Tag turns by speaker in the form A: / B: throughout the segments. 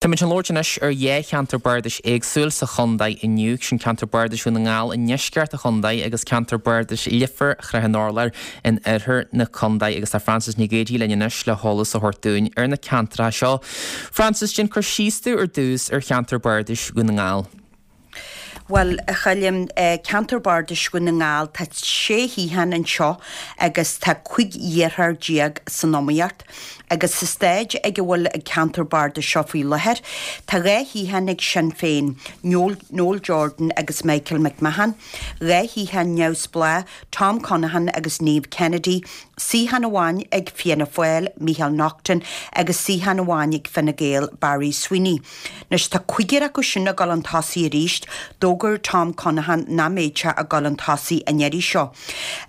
A: Táimid chun labhairt anois ar dhá cheantar bardais éagsúil sa chontae inniu, sin ceantar bardais Dhún na nGall i ndeisceart an chontae agus ceantar bardais Leifear Shrath an Urláir in oirthear na contae agus tá Frances Nic Géadaigh linn anois le heolas a thabhairt dúinn ar na ceantracha seo. Frances, déan cur síos dúinn ar dtús ar cheantar bardais Dhún na nGall.
B: Bhuel, a Choilm, ceantar bardais Dhún na nGall, tá sé shuíochán anseo agus tá 15 iarrthóir san iomaíocht. Agus sa staid ag a bhfuil an ceantar bardais seo faoi láthair, tá dhá shuíochán ag Sinn Féin, Noel Jordan agus Michael McMahon, dhá shuíochán neamhspleách, Tom Conaghan agus Niamh Kennedy, suíochán amháin ag Fianna Fáil, Micheál Naughton, agus suíochán amháin ag Fine Gael, Barry Sweeney. Anois tá cúigear acu sin ag dul chun tosaigh arís, d'fhógair Tom Conaghan nach mbeadh sé ag dul chun tosaigh an iarraidh seo.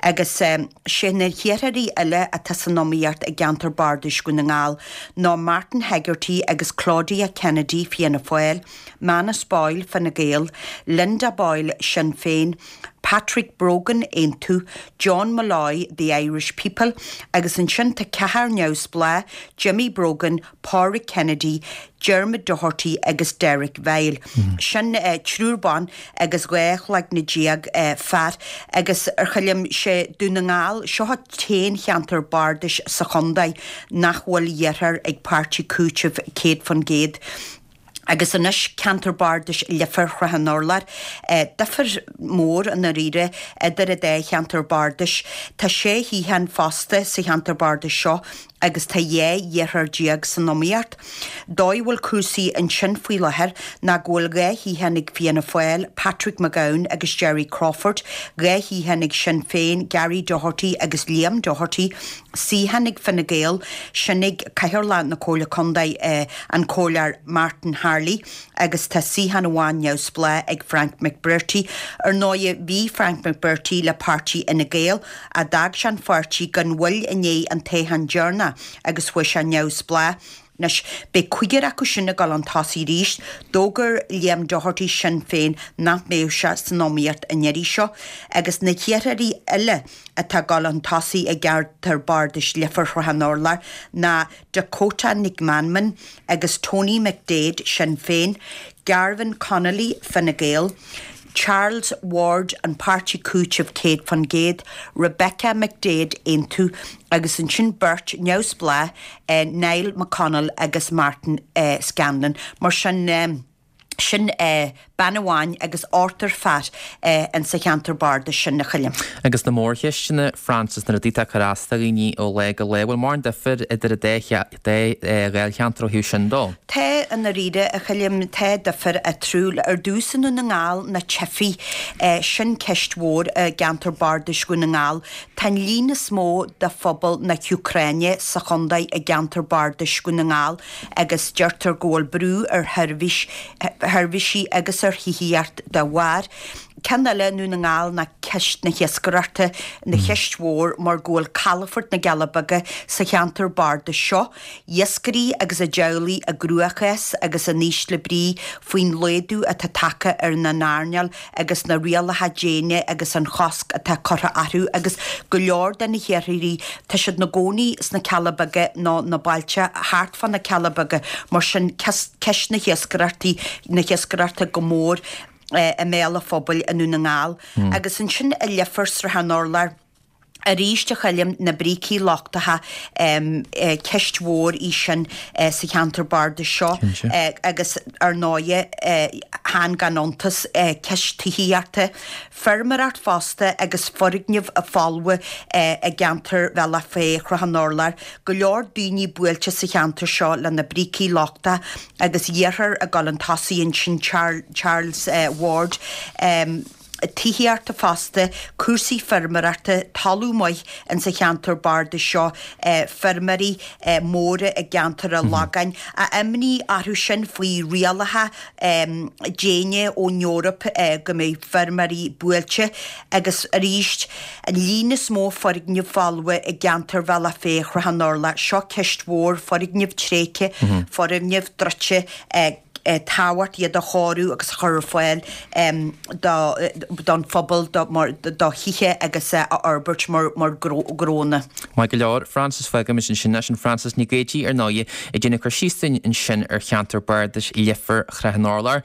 B: Agus sé na hiarrthóirí eile atá san iomaíocht i gceantar bardais Dhún na nGall ná Martin Hegarty agus Claudia Kennedy, Fianna Fáil, Manus Boyle, Fine Gael, Linda Boyle, Sinn Féin, Patrick Brogan, Aontú, John Molloy, The Irish People, agus ansin tá ceathrar neamhspleách, Jimmy Brogan, Pádraig Kennedy, Dermot Doherty agus Derek Vile. Sin triúr ban agus 12 chloigne fear agus a Choilm, sé Dún na nGall, seo an t-aon cheantar bardais sa chontae nach bhfuil iarrthóir ag Páirtí Cúitimh 100%. Agus anois ceantar bardais Leifear Shrath an Urláir. Difear mór i ndáiríre idir an dá cheantar bardais. Tá sé shuíochán fosta sa cheantar bardais seo agus tá 12 iarrthóir san iomaíocht. Dóigh a bhfuil cúrsaí ansin faoi láthair ná go bhfuil 2 shuíochán ag Fianna Fáil, Patrick McGowan agus Gerry Crawford, 2 shuíochán ag Sinn Féin, Gary Doherty agus Liam Doherty, suíochán ag Fine Gael, sin ag Cathaoirleach na Comhairle Contae, an Comhairleoir Martin Harley, agus tá suíochán amháin neamhspleách ag Frank McBrearty. Ar ndóighe, bhí Frank McBrearty le páirtí Fhine Gael, ach d'fhág sé an pháirtí gan mhoill i ndiaidh an toghcháin deireanach agus chuaigh sé neamhspleách. Anois, beidh cúigear acu sin ag dul chun tosaigh arís. D'fhógair Liam Doherty Sinn Féin nach mbeadh sé san iomaíocht an iarraidh seo agus na hiarrthóirí eile atá ag dul chun tosaigh i gceantar bardais Leifear Shrath an Urláir ná Dakota Nic Meanman agus Tony McDaid, Sinn Féin, Garvan Connolly, Fine Gael, Charles Ward, An Páirtí Cúitimh 100%, Rebecca McDaid, Aontú, agus ansin beirt neamhspleách, Niall McConnell agus Martin Scanlon. Mar sin, sin bean amháin agus ochtar fear insa cheantar bardais sin, a Choilm.
A: Agus na mórcheisteanna, Frances, na rudaí atá ag cur as do dhaoine ó lá go lá, bhfuil mórán difir idir an dá dháilcheantar ó thaobh sin dó?
B: Tá, i ndáiríre, a Choilm, tá difir eatarthu. Ar dtús i nDún na nGall, na teifigh, sin ceist mhór i gceantar bardais Dhún na nGall. Tá an líon is mó de phobal na hÚcráine sa chontae i gceantar bardais Dhún na nGall agus deirtear go bhfuil brú ar sheirbhís, sheirbhísí agus ar thithíocht dá bharr. Ceann eile i nDún na nGall ná ceist na hiascaireachta, ina cheist mhór mar go bhfuil calafort na gCealla Beaga sa cheantar bardais seo. Iascairí agus a dteaghlaigh i gcruachás agus in ísle brí faoin laghdú atá tagtha ar an earnáil agus na rialacha déine agus an chosc atá curtha orthu agus go leor de na hiarrthóirí, tá siad 'na gcónaí sna Cealla Beaga nó na bailte thart fá na Cealla Beaga, mar sin ceist na hiascaireachtaí, na hiascaireachta go mór i mbéal an phobail i nDún na nGall. Agus ansin i Leifear, Srath an Urláir. Arís, a Choilm, na brící lochtacha, ceist mhór í sin sa cheantar bardais seo agus ar ndóighe, chan gan iontas, ceist tithíochta, feirmeoireacht fosta agus foirgnimh folmha i gceantar Bhealach Féich, Shrath an Urláir. Go leor daoine buailte sa cheantar seo le na brící lochtacha agus iarrthóir ag dul chun tosaigh ansin, Charles Ward. tithíochta fosta, cúrsaí feirmeoireachta, talamh maith insa cheantar bardais seo, feirmeoirí móra i gceantar an Lagáin. Imní orthu sin faoi rialacha déine ón Eoraip go mbeidh feirmeoirí buailte agus arís an líon is mó foirgneamh folmha i gceantar Bhealach Féich, Shrath an Urláir. Seo ceist mhór, foirgnimh tréigthe, foirgnimh druidte. Tábhacht iad a chóiriú agus a chur ar fáil don phobal, do thithe agus a fhorbairt mar ghnónna.
A: Maith go leor, Frances, fágaimis ansin é. Sin Frances Nic Géidigh, ar ndóigh, ag déanamh cur síos dúinn ansin ar cheantar bardais Leifear Shrath an Urláir.